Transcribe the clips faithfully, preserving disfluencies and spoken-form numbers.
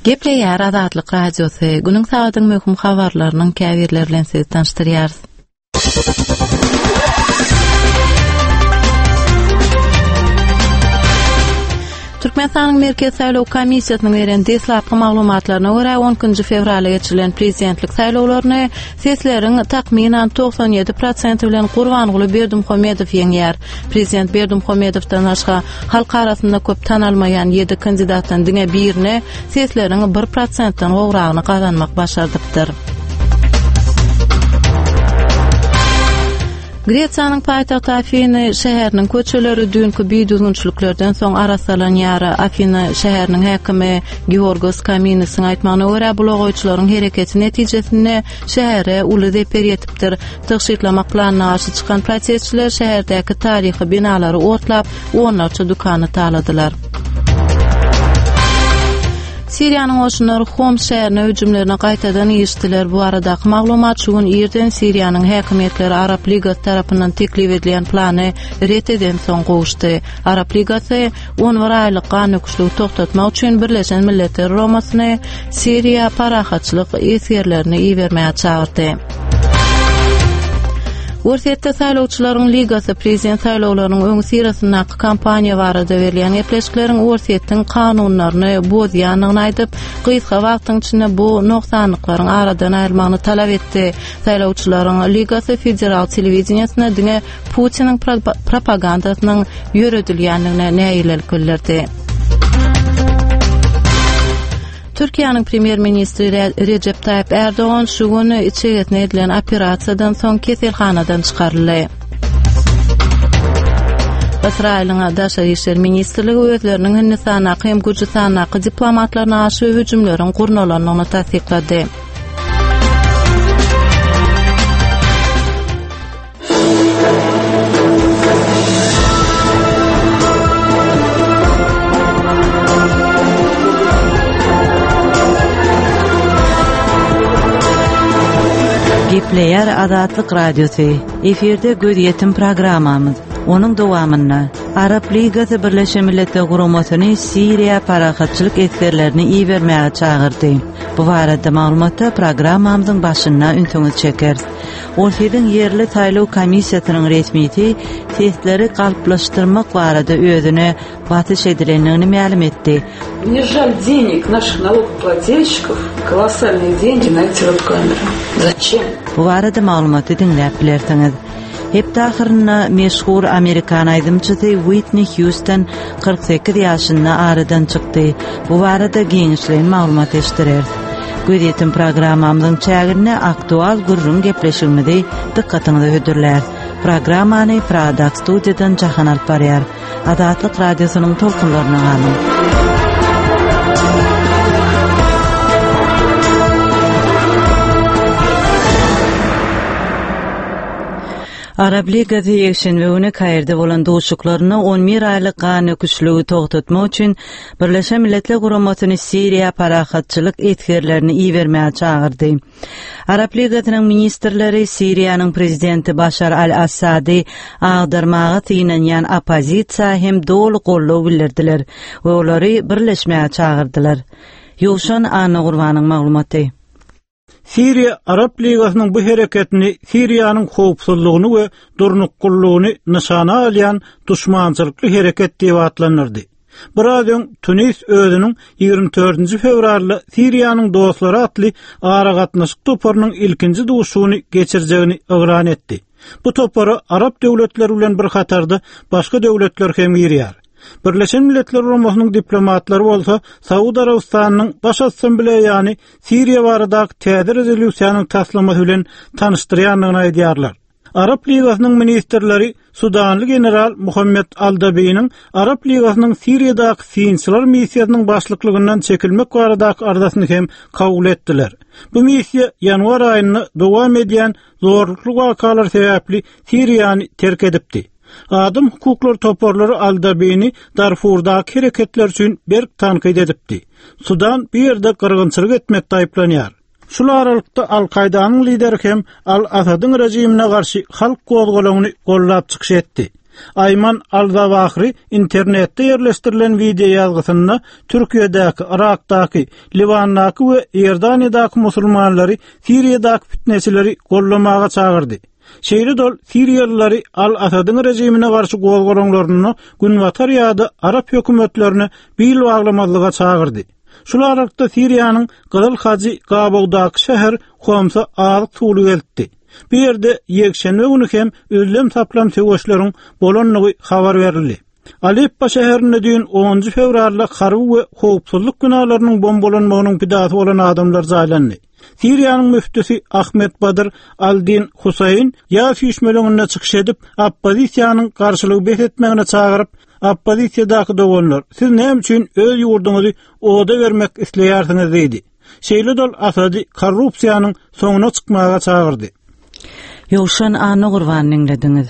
Gepleýär Azatlyk Radiosy, günüň sagadyň möhüm habarlarynyň käbirleri bilen sizi tanyşdyrýarys. Türkmenistanyň Merkezi saýlaw komissiýasynyň beren deslapky maglumatlaryna görä, on ikinji fewralda geçirilen prezidentlik saýlawlaryny sesleriň takmynan togsan ýedi prosenti bilen Gurbanguly Berdimuhamedow ýeňýär. Prezident Berdimuhamedowdan başga halk arasynda köp tanalmaýan ýedi kandidatdan diňe birine sesleriň bir prosentden gowragyny gazanmak başardypdyr. Gresiýanyň paýtagty Afiny şäheriniň köçeleri düýnki bidüzgünçiliklerden soň arassalanýar. Afiny şäheriniň häkimi Georgos Kaminisiň aýtmagyna görä, bulagaýçylaryň hereketi netijesinde şähere uly zeper ýetipdir. Tygşytlamak planyna garşy çykan protestçiler şäherdäki taryhy binalary otlap, onlarça dükany taladylar. Siriýanyň goşunlary Homs şäherine hüjümlerine gaýtadan girişdiler. Bu baradaky maglumat şu gün irden Siriýanyň häkimiýetleri Arap Ligasy tarapyndan teklip edilen plany ret edensoň gowuşdy. Arap Ligasy on bir aýlyk gan döküşligi togtatmak üçin Birleşen Milletler Guramasyny Siriýa parahatçylyk esgerlerini ibermäge çagyrdy. Orsýetde saýlawçylaryň ligasy prezident saýlawlarynyň öňüsyrasyndaky kampaniýa barada berilýän gepleşikleriň Orsýetiň kanunlaryny bozýandygyny aýdyp, gysga wagtyň içinde bu nogsanlyklaryň aradan aýrylmagyny talap etdi. Saýlawçylaryň ligasy federal telewideniýesinde diňe Putiniň propagandasynyň ýöredilýändigine nägilelik bildirdi. Türkiýäniň premýer-ministri Rejep Taýyp Erdogan şu gün içegesine edilen operasiýadan soň keselhanadan çykaryldy. Ysraýylyň Daşary işler ministrligi özleriniň Hindistandaky hem Gürjüstandaky diplomatlaryna garşy hüjümleriň gurnalandygyny tassyklady. Gepleýär Azatlyk Radiosy. Efirde gözýetim programmamyz. Onuň dowamynda Arap Ligasy Birleşen Milletler Guramasyny Siriýa parahatçylyk esgerlerini ibermäge çagyrdy. Bu barada maglumata programmamyzyň başynda ünsüňizi çekeris. Orsýetiň ýerli saýlaw komissiýasynyň resmisi sesleri galplaşdyrmak barada özüne basyş edilendigini mälim etdi. Мне жаль денег наших налогоплательщиков, колоссальные деньги на эти веб-камеры. Зачем? Bu barada maglumaty diňläp bilersiňiz. Hepde ahyrynda meşhur amerikan aýdymçysy Uitni Hýuston kyrk sekiz ýaşynda aradan çykdy. Bu barada giňişleýin maglumat eşitdireris. Gözýetim programmamyzyň çäginde aktual gürrüň gepleşigimizi dykgatyňyza hödürläris. Programmany Prada studiýadan Jahan alyp barýar. Azatlyk Radiosynyň tolkunlaryna galyň. Arap Ligasy ýekşenbe güni Kairde bolan duşuşyklarynda on bir aýlyk gan döküşligi togtatmak üçin Birleşen Milletler Guramasyny Siriýa parahatçylyk esgerlerini ibermäge çagyrdy. Arap Ligasynyň ministrleri Siriýanyň prezidenti Başar al-Assady agdarmaga synanýan oppozisiýa hem doly goldaw bildirdiler we olary birleşmäge çagyrdylar. Ýowşan Annagurbanyň maglumaty. Siriýa Arap Ligasynyň bu hereketini Siriýanyň howpsuzlygyny we durnuklylygyny nyşana alýan duşmançylykly hereket diýip atlandyrdy. Biraz öň Tunis özüniň ýigrimi dördünji fewralda Siriýanyň dostlary atly aragatnaşyk toparynyň ilkinji duşuşygyny geçirjegini yglan etdi. Bu topara Arap döwletleri bilen bir hatarda başga döwletler hem girýär. Birleşen Milletler Guramasynyň diplomatlary bolsa Saud Arabystanynyň Baş Assambleýany Siriýa baradaky täze rezolýusiýanyň taslamasy bilen tanyşdyrýandygyny aýdýarlar. Arap Ligasynyň ministrleri Sudanly general Muhammed Al-Dabiniň Arap Ligasynyň Siriýadaky synçylar missiýasynyň başlyklygyndan çekilmek baradaky arzasyny hem kabul etdiler. Bu missiýa ýanwar aýynda dowam edýän zorlukly wakalar sebäpli Siriýany terk edipdi. Adam hukuklary toparlary Al-Dabini Darfurdaky hereketler üçin berk tankyt edipdi. Sudan bu ýerde gyrgynçylyk etmekde aýyplanýar. Şul aralykda Al-Kaýdanyň lideri hem Al-Asadyň rejimine garşy halk gozgalaňyny gollap çykyş etdi. Aýman Al-Zawahri internetde ýerleşdirilen wideo ýazgysynda Türkiýedäki, Irakdaky, Liwandaky we Iordaniýadaky musulmanlary Siriýadaky fitneçileri gollamaga çagyrdy. Şeýle dol Siriýalylary Al-Asadyň rejimine garşy gozgalaňlaryny Günbatar ýa-da Arap hökümetlerine bil baglamazlyga çagyrdy. Şul aralykda Siriýanyň Gyzyl Hajy Gabawdaky şäher Homsa azyk suwly geldi. Bu ýerde ýekşenbe güni hem üzlem saplam söweşleriň bolanlygy habar berildi. Aleppo şäherinde düýn onunjy fewralda harby we howpsuzlyk binalarynyň bombalanmagynyň pidasy bolan adamlar jaýlandy. Siriýanyň müftüsi Ahmet Badr Aldin Husayn ýa süýşmeliginde çykyş edip, oppozisiýanyň garşylygy bes etmegine çagyryp, oppozisiýadaky doganlar, siz näme üçin öz ýurduňyzy oda bermek isleýärsiňiz diýdi. Şeýle dol Asady korrupsiýanyň soňuna çykmaga çagyrdy. Ýowşan Anna Gurban diňlediňiz.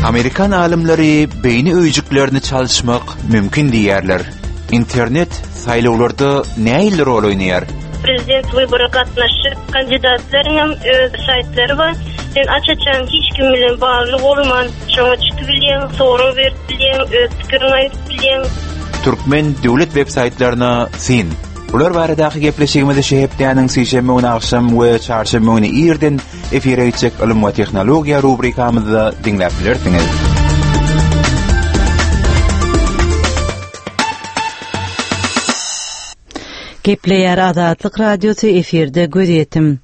Amerikan alymlary beýni öýjüklerini çalyşmak mümkin diýýärler. Internet saýlawlarda nähili rol oýnaýar? Prezident wybora gatnaşyp, kandidatlaryň hem öz saýtlary bar. Sen aç-açan hiç kim bilen bagly bolman, şoňa çykyp bilýän, sorag berip bilýän, öz pikirini aýdyp bilýän. Türkmen döwlet web saýtlaryna syn. Bular baradaky gepleşigimizi şu hepdäniň sişenbe güni akşam we çarşenbe güni irden efire gitjek ylym we tehnologiýa rubrikamyzda diňläp bilersiňiz. Gepleýär Azatlyk Radiosy efirde gözýetim.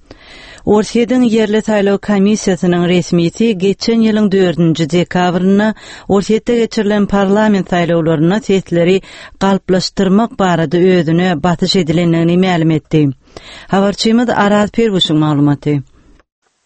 Orsýetiň ýerli saýlaw komissiýasynyň resmisi geçen ýylyň dördünji dekabrynda Orsýetde geçirilen parlament saýlawlarynda sesleri galplaşdyrmak barada özüne basyş edilendigini mälim etdi. Habarçymyz Araz Perwuşyň maglumaty.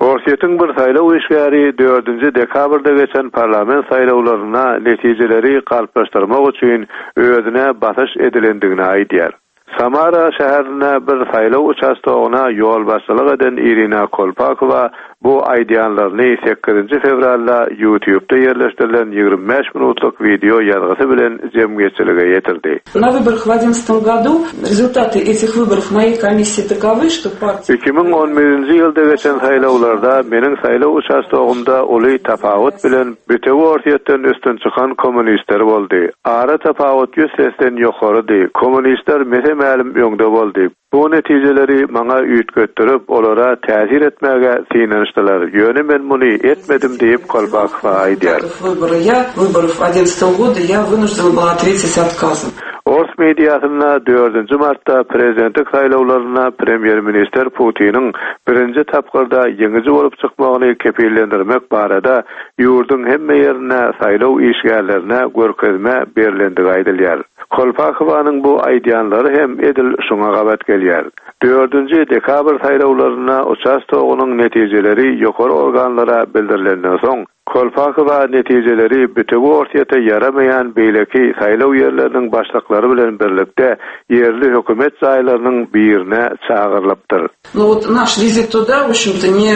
Orsýetiň bir saýlaw işgäri dördünji dekabrda geçen parlament saýlawlaryna netijeleri galplaşdyrmak üçin özüne basyş edilendigini aýdýar. Samara şäherinde bir saýlaw uçastogyna ýolbaşçylyk eden Irina Kolpakowa bu aýdýanlaryny sekizinji fewralda YouTube'da ýerleşdirilen ýigrimi bäş minutlyk wideo ýazgysy bilen jemgyýetçilige ýetirdi. На выборах в одиннадцатом году результаты этих выборов моей комиссии таковы, что партия Iki müň on birinji ýylda geçen saýlawlarda meniň saýlaw uçastogymda uly tapawut bilen bütewi Orsýetden üstün çykan kommunistler boldy. Ara tapawut ýüz sesden ýokarydy. Kommunistler mese-mälim öňde boldy. Bu netijeleri maňa üýtgetdirip, olara täsir etmäge synanyşdylar. Ýöne men muny etmedim diýip Kolpakowa aýdýar. Выборы я, выборов одиннадцатого года я вынуждена была ответить отказом. Ors mediasynda dördünji martda prezidentlik saýlawlaryna premýer-ministr Putiniň birinji tapgyrda ýeňiji bolup çykmagyny kepillendirmek barada ýurduň hemme ýerine saýlaw işgärlerine görkezme berilendigi aýdylýar. Kolpakowanyň bu aýdýanlary hem edil şoňa gabat gelýär. Dördünji dekabr saýlawlaryna uçastogynyň netijeleri ýokary organlara bildirilenden soň Kolpakowa netijeleri bütewi Orsýete ýaramaýan beýleki saýlaw ýerleriniň başlyklary bilen birlikde ýerli hökümet jaýlarynyň birine çagyrylypdyr. Ну вот наш визит туда, в общем-то, не,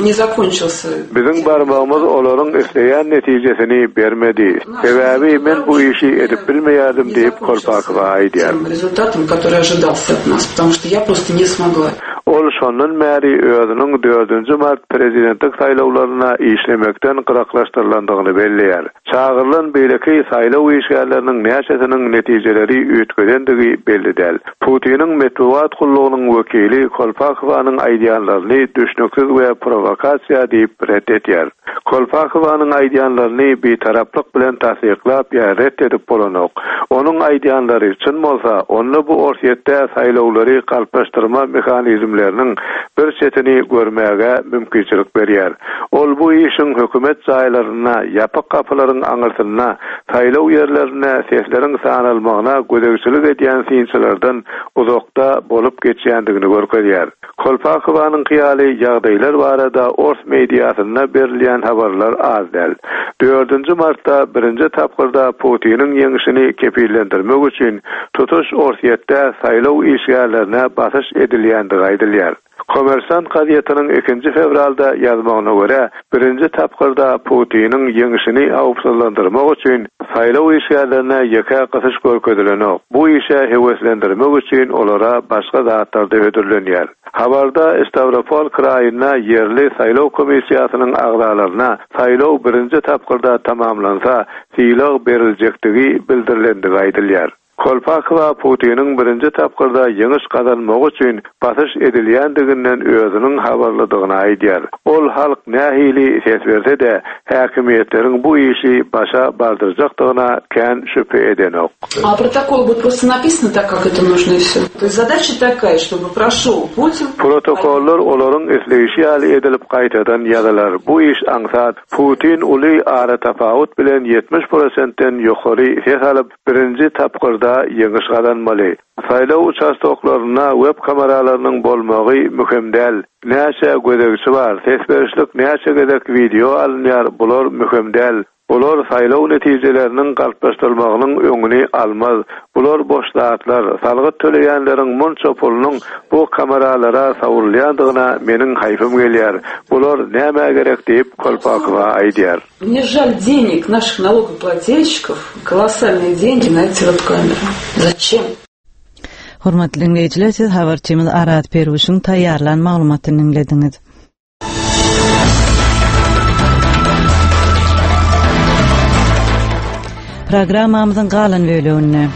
не закончился. Biziň barmagymyz olaryň isleýän netijesini bermedi. Sebäbi men bu işi edip bilmeýärdim diýip Kolpakowa aýdýar. Тем результатом, который ожидался от нас, потому что я просто не смогла. Ol şondan bäri özüniň dördünji mart prezidentlik saýlawlaryna işlemekden gyraklaşdyrylandygyny belleýär. Çagyrylan beýleki saýlaw işgärleriniň näçesiniň netijeleri üýtgedendigi belli däl. Putiniň metbugat gullugynyň wekili Kolpakowanyň aýdýanlaryny düşnüksiz we provokasiýa diýip ret etýär. Kolpakowanyň aýdýanlaryny bitaraplyk bilen tassyklap ýa ret edip bolanok. Onuň aýdýanlary çyn bolsa, onda bu Orsýetde saýlawlary galplaşdyrma mehanizmleriniň bir çetini görmäge mümkinçilik berýär. Ol bu işiň hökümet jaýlaryna, ýapyk gapylaryň aňyrsynda, saýlaw ýerlerine sesleriň sanalmagyna gözegçilik edýän synçylardan uzakda bolup geçýändigini görkezýär. Kolpakowanyň hyýaly ýagdaýlar barada ors mediasynda berilýän habarlar az däl. Dördünji martda birinji tapgyrda Putiniň ýeňişini kepillendirmek üçin tutuş Orsýetde saýlaw işgärlerine basyş edilýändigi aýdylýar. Kommersant gazetiniň ikinji fewralda ýazmagyna görä, birinji tapgyrda Putiniň ýeňişini howpsuzlaşdyrmak Gyzyksyzlandyrmak üçin saýlaw işgärlerine ýeke gysyş görkezilenok. Bu işe höweslendirmek üçin olara başga zatlar-da hödürlenýär. Habarda Stavropol kraýynda ýerli saýlaw komissiýasynyň agzalaryna saýlaw birinji tapgyrda tamamlansa, sylag beriljekdigi bildirilendigi aýdylýar. Kolpakowa Putiniň birinji tapgyrda ýeňiş gazanmagy üçin basyş edilýändiginden özüniň habarlydygyny aýdýar. Ol halk nähili ses berse-de, häkimiýetleriň bu işi başa bardyrjakdygyna kän şübhe edenok. А протокол будет просто написано так, как это нужно и все. То есть задача такая, чтобы прошел Путин. Protokollar olaryň isleýşi ýaly edilip gaýtadan ýazylar. Bu iş aňsat. Putin uly ara tapawut bilen ýetmiş prosentden ýokary ses alyp, birinji tapgyrda ýeňiş gazanmaly. Saýlaw uçastoklarynda web kameralarynyň bolmagy möhüm däl. Näçe gözegçi bar, ses berişlik näçe gezek wideo alynýar, bular möhüm däl. Bular saýlaw netijeleriniň galplaşdyrylmagynyň öňüni almaz. Bular boş zatlar. Salgyt töleýänleriň munça pulunyň bu kameralara sawrulýandygyna meniň haýpym gelýär. Bular nämä gerek diýip Kolpakowa aýdýar. Мне жаль денег наших налогоплательщиков, колоссальные деньги на эти веб-камеры. Зачем? Hormatly dinleýjiler, siz habarçymyz Arat Perwişiň taýýarlan maglumatyny dinlediňiz. Programmamyzyň galan bölüminde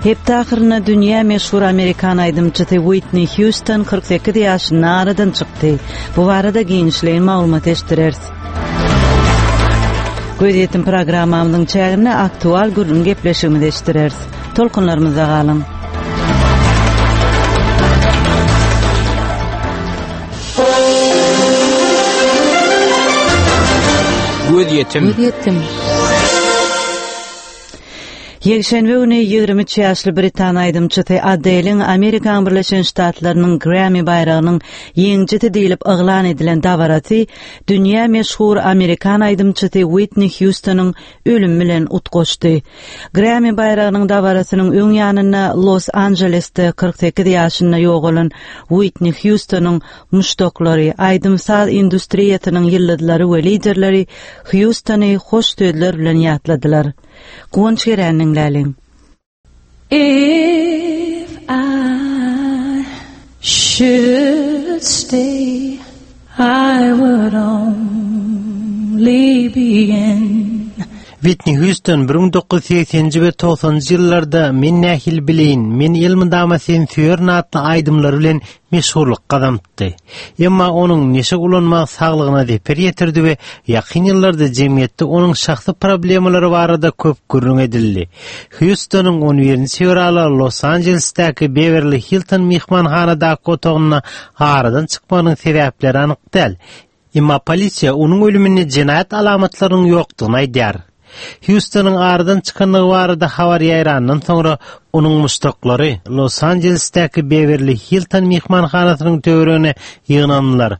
Hepde ahyrynda dünýä meşhur Amerikan aýdymçysy Whitney Houston kyrk sekiz ýaşynda aradan çykdy. Bu barada giňişleýin maglumat eşitdireris. Gözýetim programmamyzyň çäginde aktual gürrüň gepleşigimizi eşitdireris. Tolkunlarymyzda galyň. Gözýetim. Gözýetim. Ýekşenbe güni ýigrimi üç ýaşly Britan aýdymçysy Adele'iň Amerikan Birleşen Ştatlarynyň Grammy baýragynyň ýeňijisi diýlip yglan edilen dabarasy dünýä meşhur Amerikan aýdymçysy Whitney Houstonyň ölümi bilen utgaşdy. Grammy baýragynyň dabarasynyň öň ýanynda Los Angelesde kyrk sekiz ýaşynda ýogalan Whitney Houstonyň muşdaklary, aýdym-saz industriýasynyň ýyldyzlary we liderleri Houstony hoş sözler bilen ýatladylar. Guwanç Gereniniň läliň. If I should stay, I would only be in Whitney Houston bir müň dokuz ýüz segseninji we togsanynjy ýyllarda Men nähili bileýin, men elmydama seni söýerin atly aýdymlary bilen meşhurlyk gazanypdy. Emma onuň neşe ulanmagy saglygyna zeper ýetirdi we ýakyn ýyllarda jemgyýetde onuň şahsy problemalary barada köp gürrüň edildi. Houstonyň on birinji fewralda Los Angelesdäki Beverly Hilton mehmanhanadaky otagynda aradan çykmagynyň sebäpleri anyk däl. Emma polisiýa onuň ölüminde jenaýat alamatlarynyň ýokdugyny aýdýar. Houstonyň aradan çykanlygy barada habar ýaýrandan soňra onuň muşdaklary Los Angelesdäki Beverly Hilton mehmanhanasynyň töweregine ýygnandylar.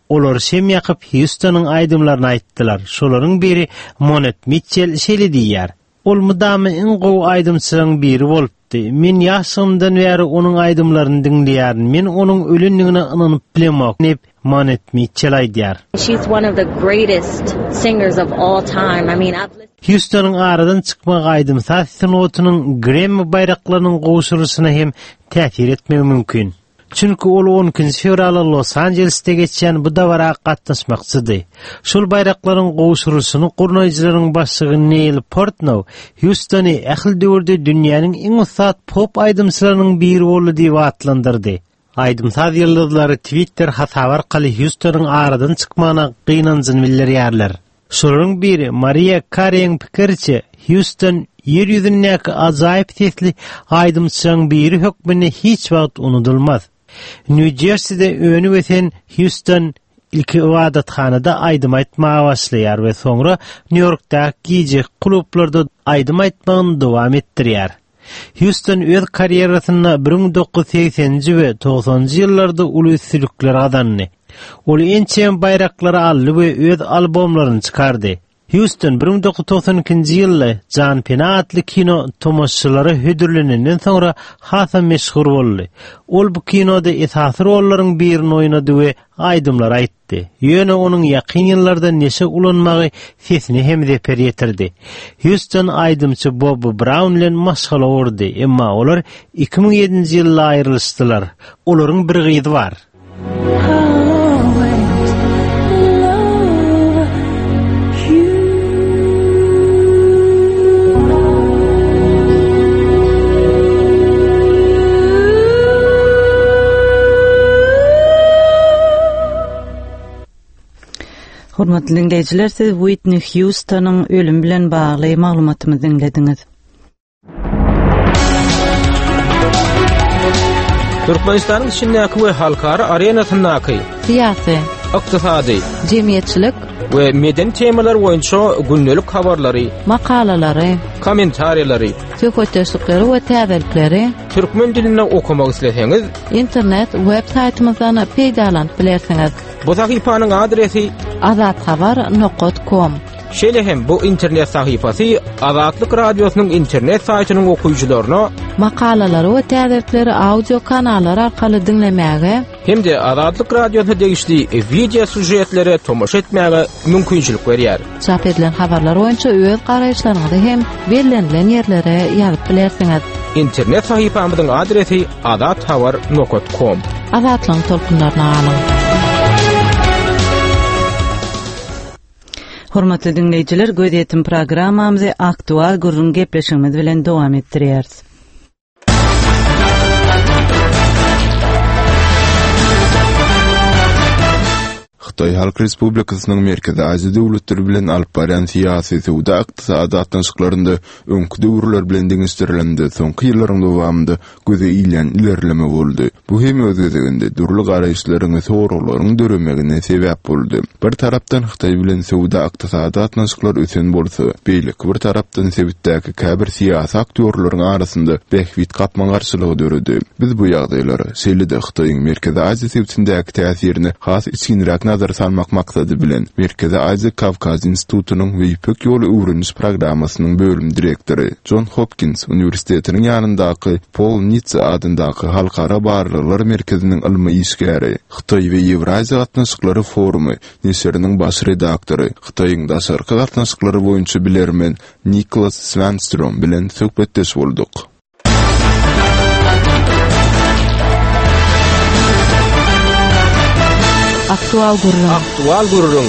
Olar şem ýakyp Houstonyň aýdymlaryny aýtdylar. Şolaryň biri Monet Mitchell şeýle diýýär: Ol mydama iň gowy aýdymçylaryň biri bolupdy. Men ýaşlygymdan bäri onuň aýdymlaryny diňleýärin. Men onuň ölendigine ynanyp bilemok diýip Monet Mitchell aýdýar. She's one of the greatest singers of all time. I mean, I've listened Houstonyň aradan çykmagy aýdym-saz sungatynyň Grammy baýraklarynyň gowşurylyşyna hem täsir etmegi mümkin. Çünki ol on ikinji fewralda Los Angelesde geçýän bu dabara gatnaşmakçydy. Şol baýraklaryň gowşurylyşyny gurnaýjylaryň başlygy Neil Portnow Houstony ähli döwürde dünýäniň iň ussat pop aýdymçylarynyň biri boldy diýip atlandyrdy. Aýdym-saz ýyldyzlary Twitter hasaby arkaly Houstonyň aradan çykmagyna gynanjyny bildirýärler. Şolaryň biri Mariah Carey'iň pikiriçe Houston ýer ýüzündäki ajaýyp sesli aýdymçylaryň biri hökmünde hiç wagt unudylmaz. New Jersey'de önüp ösen Houston ilki ibadathanada aýdym aýtmaga başlaýar we soňra New York'daky gije klublarda aýdym aýtmagyny dowam etdirýär. Houston öz karýerasynda bir müň dokuz ýüz segseninji we togsanynjy ýyllarda uly üstünlikler gazandy. Ol ençeme baýraklary aldy we öz albomlaryny çykardy. Hýuston bir müň dokuz ýüz togsan ikinji ýylda Janpena atly kino tomaşaçylara hödürlenenden soňra hasam meşhur boldy. Ol bu kinoda esasy rollaryň birini oýnady we aýdymlar aýtdy. Ýöne onuň ýakyn ýyllarda neşe ulanmagy sesine hem zeper ýetirdi. Hýuston aýdymçy Bobby Brown bilen maşgala gurdy, emma olar iki müň ýedinji ýylda aýrylyşdylar. Olaryň bir gyzy bar. Hormatly dinleýjiler, siz Whitney Houstonyň ölümi bilen bagly maglumatymyzy diňlediňiz. Türkmenistanyň içindäki we halkara arenasyndaky syýasy, ykdysady, jemgyýetçilik we medeni temalar boýunça gündelik habarlary, makalalary, kommentariýalary, söhbetdeşlikleri we täzelikleri türkmen dilinde okamak isleseňiz, internet web saýtymyzdan peýdalanyp bilersiňiz. Bu sahypanyň adresi azathabar nokta com. Şeýle hem bu internet sahypasy Azatlyk Radiosynyň internet saýtynyň okyjylaryna makalalary we täzelikleri audio kanallar arkaly diňlemäge hem-de Azatlyk Radiosyna degişli video süžetlere tomaşa etmäge mümkinçilik berýär. Çap edilen habarlar boýunça öz garaýyşlaryňyzy hem bellenilen ýerlere ýazyp bilersiňiz. Internet sahypamyzyň adresi azathabar nokta com. Azatlygyň tolkunlaryna galyň. Hormatly dinleýjiler, gözýetim programmamyzy aktual gürrüň gepleşigimiz bilen dowam etdirýäris. Hytaý Halk Respublikasynyň Merkezi Aziýa döwletleri bilen alyp barýan syýasy, söwda, ykdysady gatnaşyklarynda öňki döwürler bilen deňeşdirilende soňky ýyllaryň dowamynda göze ilýän ilerleme boldy. Bu hem öz gezeginde dürli garaýyşlaryň we soraglaryň döremegine sebäp boldy. Bir tarapdan Hytaý bilen söwda ykdysady gatnaşyklar ösen bolsa, beýleki bir tarapdan sebitdäki käbir syýasy aktýorlaryň arasynda bähbit gapma-garşylygy döredi. Biz bu ýagdaýlara, şeýle-de Hytaýyň Merkezi Aziýa sebitindäki täsirini has içginräk nazar salmak maksady bilen Merkezi Aziýa Kawkaz institutynyň we Ýüpek ýoly öwreniş programmasynyň bölüm direktory John Hopkins Uniwersitetiniň ýanyndaky Paul Nitze adyndaky Halkara barlaglar merkeziniň ylmy işgäri, Hytaý we Ýewraziýa gatnaşyklary forumy neşiriniň baş redaktory, Hytaýyň daşarky gatnaşyklary boýunça bilermen Niklas Swanstrom bilen söhbetdeş bolduk. Aktual gürrüň. Aktual gürrüň.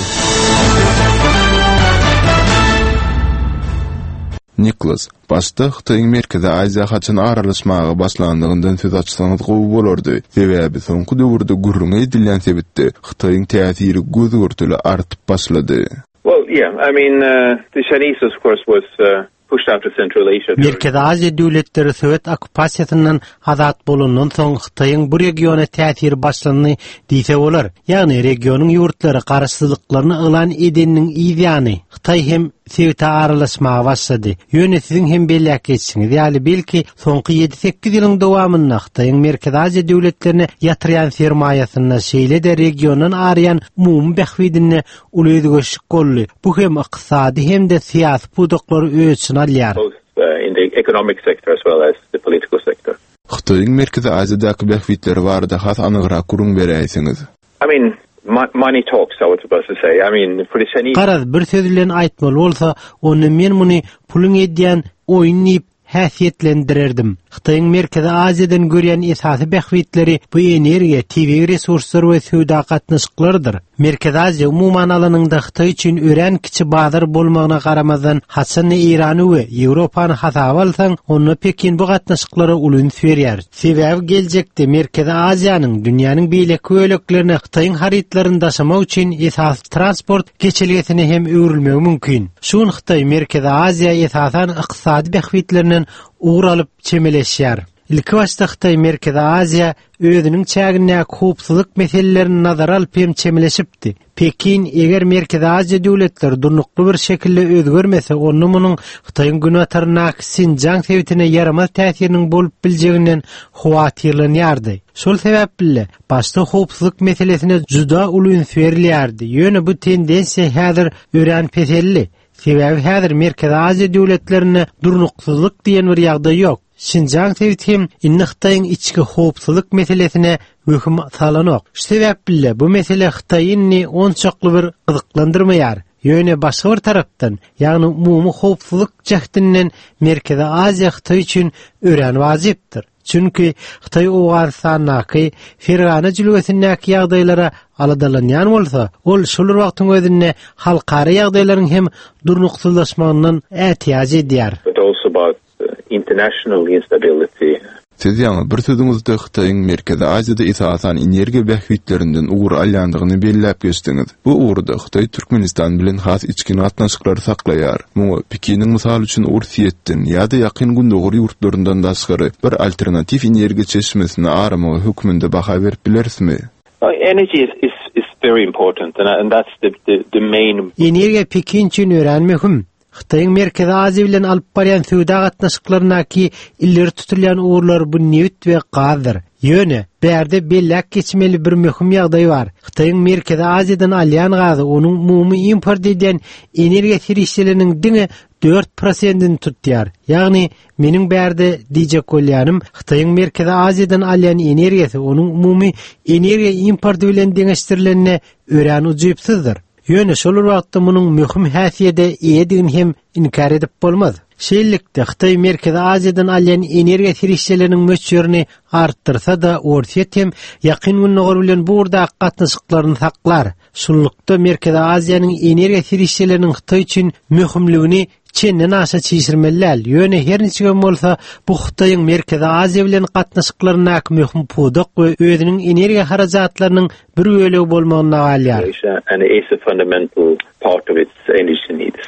Niklas, başda Hytaýyň Merkezi Aziýa haçan aralaşmaga başlandygyndan söz açsaňyz gowy bolardy. Sebäbi soňky döwürde gürrüňi edilýän sebitde Hytaýyň täsiri göz görteli artyp başlady. Well, yeah, I mean, uh, the Chinese of course was, uh, pushed out of Central Asia. Merkezi Aziýa döwletleri Sowet okkupasiýasyndan azat bolandan soň Hytaýyň bu regiona täsiri başlandy diýse bolar. Ýagny regionyň ýurtlary garaşsyzlyklaryny yglan edeniniň yz ýany Hytaý hem sebite aralaşmaga başlady. Ýöne siziň hem belläp geçişiňiz ýaly belki soňky ýedi sekiz ýylyň dowamynda Hytaýyň Merkezi Aziýa döwletlerine ýatyrýan sermaýasynda şeýle-de regiondan araýan umumy bähbidinde uly özgerişlik boldy. Bu hem ykdysady hem-de syýasy pudaklary öz içine alýar. Both, uh, in the economic sector as well as the political sector. Hytaýyň Merkezi Aziýadaky bähbitleri barada has anygrak gürrüň beräýseňiz. I mean, mo-, money talks, I was supposed to say. I mean, for the Chinese Garaz bir söz bilen aýtmaly bolsa, onda men muny puluň edýän oýun diýip häsiýetlendirerdim. Hytaýyň Merkezi Aziýadan görýän esasy bähbitleri bu energiýa, tebigy resurslar we söwda gatnaşyklarydyr. Merkezi Aziýa umuman alanyňda Hytaý üçin örän kiçi bazar bolmagyna garamazdan, haçan Eýrany we Ýewropany hasaba alsaň, onda Pekin bu gatnaşyklara uly üns berýär. Sebäbi geljekde Merkezi Aziýanyň dünýäniň beýleki böleklerine Hytaýyň harytlaryny daşamak üçin esasy transport geçelgesine hem öwrülmegi mümkin. Şu gün Hytaý Merkezi Aziýa esasan ykdysady bähbitlerinden ugur alyp çemeleşýär. Ilki başda Hytaý Merkezi Aziýa özüniň çägindäki howpsuzlyk meselelerini nazara alyp hem çemeleşipdi. Pekin eger Merkezi Aziýa döwletleri durnukly bir şekilde özgermese, onda munuň Hytaýyň günortasyndaky Sinjaň sebitine ýaramaz täsiriniň bolup biljeginden howatyrlanýardy. Şol sebäpli başda howpsuzlyk meselesine juda uly üns berilýärdi. Ýöne bu tendensiýa häzir örän peseldi. Sebäbi häzir Merkezi Aziýa döwletlerinde durnuksyzlyk diýen bir ýagdaý ýok. Şinjan sebiti hem indi Hytaýyň içki howpsuzlyk meselesine möhüm salanok. Şu sebäp bile bu mesele Hytaýy indi onçakly bir gyzyklandyrmaýar. Ýöne başga bir tarapdan, ýagny umumy howpsuzlyk jähtinden Merkezi Aziýa Hytaý üçin örän wajypdyr. Çünki Hytaý Owganystandaky Fergana jülgesindäki ýagdaýlara aladalanýan bolsa, ol şol bir wagtyň özünde halkara ýagdaýlaryň hem durnuksyzlaşmagyndan ätiýaç edýär. But also about uh, international instability. Siz ýaňy bir sözüňizde Hytaýyň Merkezi Aziýada esasan energiýa bähbitlerinden ugur alýandygyny belläp geçdiňiz. Bu ugurda Hytaý Türkmenistan bilen has içgin gatnaşyklary saklaýar. Muňa Pekiniň mysal üçin Orsýetden ýa-da ýakyn gündogar ýurtlaryndan daşgary bir alternatiw energiýa çeşmesini aramagy hökmünde baha berip bilerismi? Uh, Energy is, is, is very important and, and that's the, the, the main Energiýa Pekin üçin örän möhüm. Hytaýyň Merkezi Aziýa bilen alyp barýan söwda gatnaşyklaryndaky ileri tutulýan ugurlar bu nebit we gazdyr. Ýöne bärde belläk geçmeli bir möhüm ýagdaý bar. Hytaýyň Merkezi Aziýadan alýan gazy onuň umumy import edýän energiýa serişdeleriniň diňe dört prosentini tutýar. Ýagny meniň bärde diýjek bolýanym Hytaýyň Merkezi Aziýadan alýan energiýasy onuň umumy energiýa importy bilen deňeşdirilende örän ujypsyzdyr. Ýöne şol bir wagtda munuň möhüm häsiýete eýedigini hem inkär edip bolmaz. Şeýlelikde Hytaý Merkezi Aziýadan alýan energiýa serişdeleriniň möçberini artdyrsa-da, Orsýet hem ýakyn gündogar bilen bu ugurdaky gatnaşyklaryny saklar. Şunlukda Merkezi Aziýanyň energiýa serişdeleriniň Hytaý üçin möhümligini çenden aşa çişirmeli däl. Ýöne her niçigem bolsa bu Hytaýyň Merkezi Aziýa bilen gatnaşyklaryndaky möhüm pudak we özüniň energiýa harajatlarynyň bir bölegi bolmagyna galýar. Asia and is a fundamental part of its energy needs.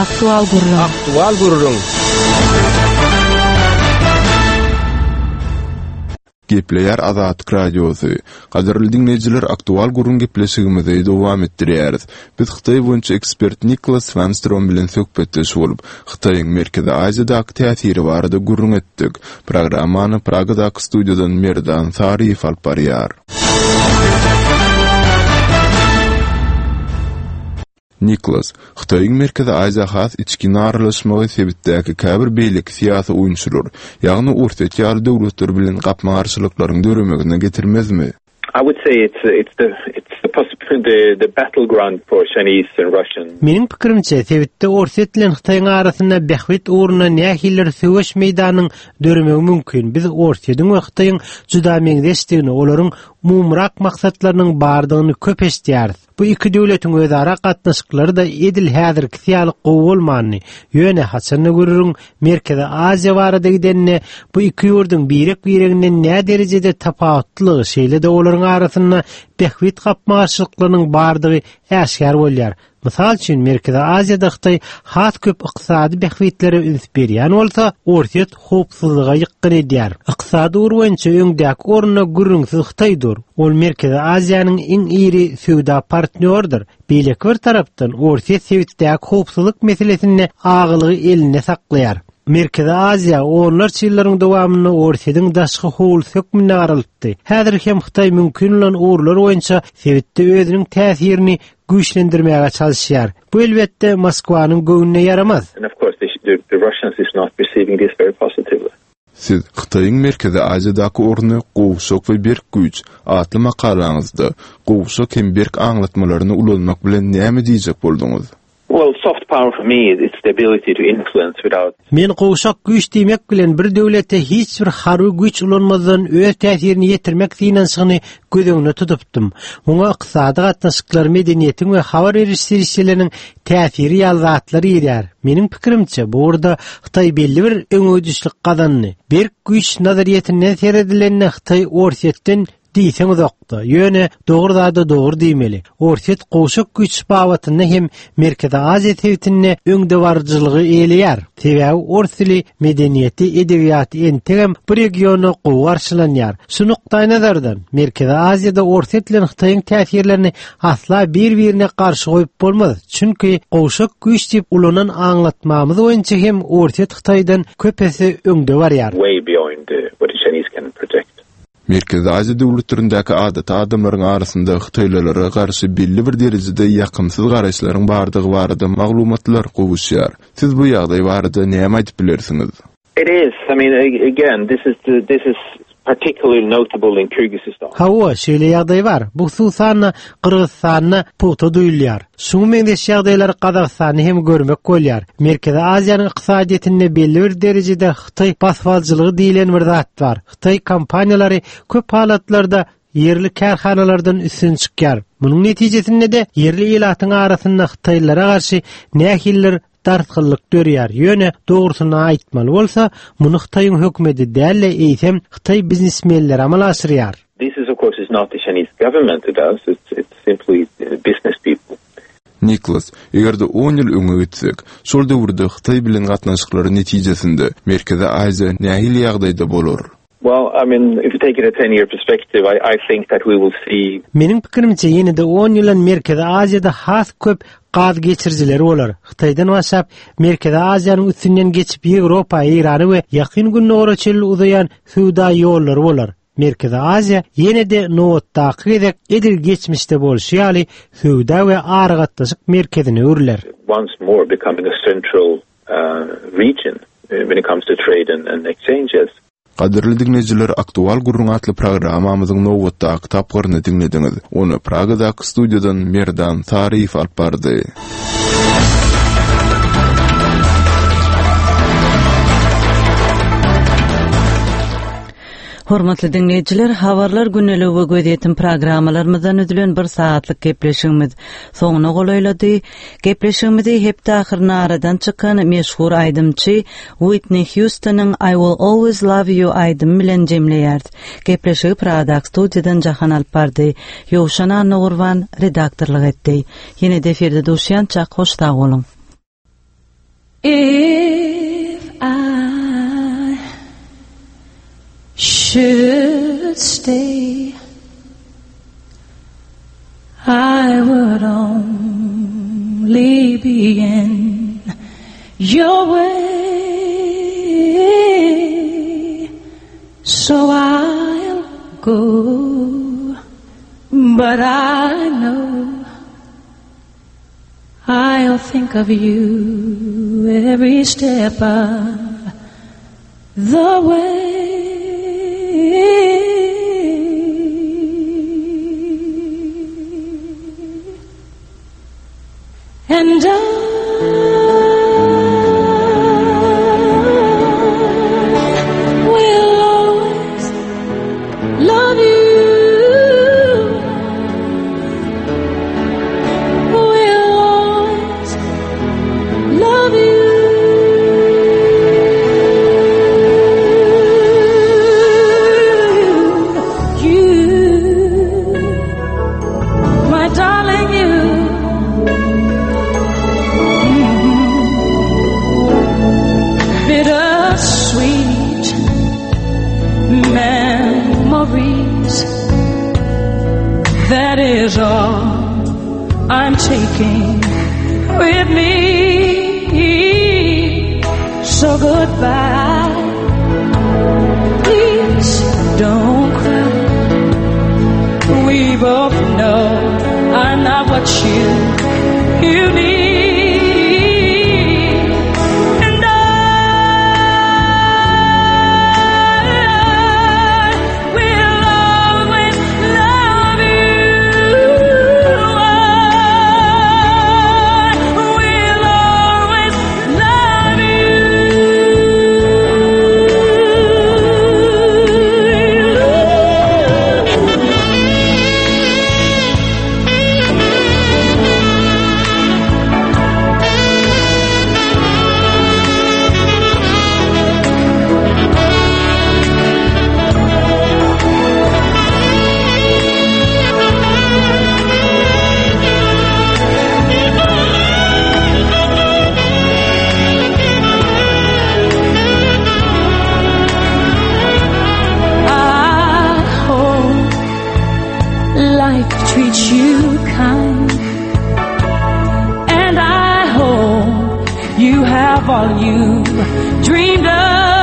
Aktual gürrüň. Aktual gürrüň. Gepleýär Azatlyk Radiosy. Gadyrly diňleýjiler, aktual gürrüň gepleşigimizi dowam etdirýäris. Biz Hytaý boýunça ekspert Niklas Swanstrom bilen söhbetdeş bolup, Hytaýyň Merkezi Aziýadaky täsiri barada gürrüň etdik. Programmany Pragadaky studiýadan Merdan Saryýew alyp barýar. Niklas, Hytaýyň Merkezi Aziýa has içgin aralaşmagy sebitdäki käbir beýleki syýasy oýunçylar, ýagny Orsýet ýaly döwletler bilen gapma-garşylyklaryň döremegine getirmezmi? I would say it's, it's the, it's the, possibly the, the battleground for Chinese and Russian. Meniň pikirimçe sebitde Orsýet bilen Hytaýyň arasynda bähbit ugrunda nähilidir söweş meýdanynyň döremegi mümkin. Biz Orsýetiň we Hytaýyň juda meňzeşdigini, olaryň umumyrak maksatlarynyň bardygyny köp eşidýäris. Bu iki döwletiň özara gatnaşyklary da edil häzirki ýaly gowy bolmandy. Ýöne haçanda görüriň Merkezi Aziýa barada gidenine bu iki ýurduň birek-bireginden nä derejede tapawutlygy, şeýle-de olaryň arasynda bähbit gapma-garşylyklarynyň bardygy äşgär bolýar. Mysal üçin Merkezi Aziýada Hytaý has köp ykdysady bähbitlere üns berýän bolsa, Orsýet howpsuzlyga ýykgyn edýär. Ykdysady ugur boýunça öňdäki orunda gürrüňsiz Hytaýdyr. Ol Merkezi Aziýanyň iň iri söwda partnýorydyr. Beýleki bir tarapdan Orsýet sebitdäki howpsuzlyk meselesinde agalygy elinde saklaýar. Merkezi Aziýa onlarça ýyllaryň dowamynda Orsýetiň daşky howlusy hökmünde garalypdy. Häzir hem Hytaý mümkin bolan ugurlar boýunça sebitde özüniň täsirini güýçlendirmäge çalışýar. Bu elbetde Moskwanyň göwnüne ýaramaz. And of course the, the, the Russians is not receiving this very positively. Siz Hytaýyň Merkezi Aziýadaky orny gowşak we berk güýç atly makalaňyzda gowşak hem berk aňlatmalaryny ulanmak bilen näme diýjek bolduňyz? Well, soft power for me is its the ability to influence without Men gowşak güýç diýmek bilen bir döwlete hiç bir harby güýç ulanmazdan öz täsirini ýetirmek synanyşygyny göz öňüne tutupdym. Muňa ykdysady gatnaşyklar, medeniýetiň we habar beriş serişdeleriniň täsiri ýaly zatlar girýär. Meniň pikirimçe, bu ugurda Hytaý belli bir öňegidişlik gazandy. Berk güýç nazaryýetinden seredilende Hytaý Orsýetden diýseň uzakda. Ýöne dogry zada dogry diýmeli. Orsýet gowşak güýç babatynda hem Merkezi Aziýa sebitinde öňdebaryjylygy eýeleýär. Sebäbi ors dili, medeniýeti, edebiýaty entegem bu regionda gowy garşylanýar. Şu nukdaýnazardan Merkezi Aziýada Orsýet bilen Hytaýyň täsirlerini asla bir-birine garşy goýup bolmaz. Çünki gowşak güýç diýip ulanan aňlatmamyz boýunça hem Orsýet Hytaýdan köp esse öňde barýar. way beyond uh, what the Chinese can project. Merkezi Aziýa döwletlerindäki adaty adamlaryň arasynda hytaýlylara garşy belli bir derejede ýakymsyz garaýyşlaryň bardygy barada maglumatlar gowuşýar. Siz bu ýagdaý barada näme aýdyp bilersiňiz? It is. I mean, again, this is the, this is particularly notable in Kyrgyzstan. Hawa, şeýle ýagdaý bar. Bu hususan Gyrgyzystanda pugta duýulýar. Şuňa meňzeş ýagdaýlar Gazagystanda hem görmek bolýar. Merkezi Aziýanyň ykdysadyýetinde belli bir derejede Hytaý baswalçylygy diýilen bir zat bar. Hytaý kompaniýalary köp halatlarda ýerli kärhanalardan üstün çykýar. Munuň netijesinde de ýerli ilatyň arasynda Hytaýlylara garşy nähilidir dartgynlyk dörýär. Ýöne dogrusyny aýtmaly bolsa, muny Hytaýyň hökümeti däl-de eýsem Hytaý biznesmenleri amala aşyrýar. This is of course is not the Chinese government who does, it's, it's simply business people. Niklas, eger-de on ýyl öňe gitsek, şol döwürde Hytaý bilen gatnaşyklary netijesinde Merkezi Aziýa nähili ýagdaýda bolar? Well, I mean, if you take it a ten-year perspective, I, I think that we will see. Meniň pikirimçe ýene-de on ýylan Merkezi Aziýada has köp gaz geçirijileri bolar. Hytaýdan başlap Merkezi Aziýanyň üstünden geçip Ýewropa, Eýrany we Ýakyn Gündogara çenli uzaýan söwda ýollary bolar. Merkezi Aziýa ýene-de nobatdaky gezek edil geçmişde bolşy ýaly söwda we aragatnaşyk merkezine öwrüler. Once more becoming a central, uh, region when it comes to trade and, and exchanges. Gadyrly diňleýjiler, Aktual gürrüň atly programmamyzyň nobatdaky tapgyryny diňlediňiz. Ony Pragadaky studiýadan Merdan Saryýew alyp bardy. Hormatly diňleýjiler, habarlar güneligi we gözýetim programmalarymyzdan üzülen bir saatlyk gepleşigimiz soňuna golaýlady. Gepleşigimizi hepde ahyryna aradan çykan meşhur aýdymçy Whitney Houstonyň I Will Always Love You aýdymy bilen jemleýäris. Gepleşigi Pragadaky studiýadan Jahan alyp bardy. Ýowşan Annagurban redaktorlyk etdi. Ýene de efirde duşýança hoş sag boluň. If I should stay, I would only be in your way. So I'll go, but I know I'll think of you every step of the way. And I will always love you. Will always love you. You, my darling, you. Bittersweet memories, that is all I'm taking with me. So goodbye, please don't cry. We both know I'm not what you, you need. And I will always love you. I will always love you. I hope life treats you kind, and I hope you have all you dreamed of.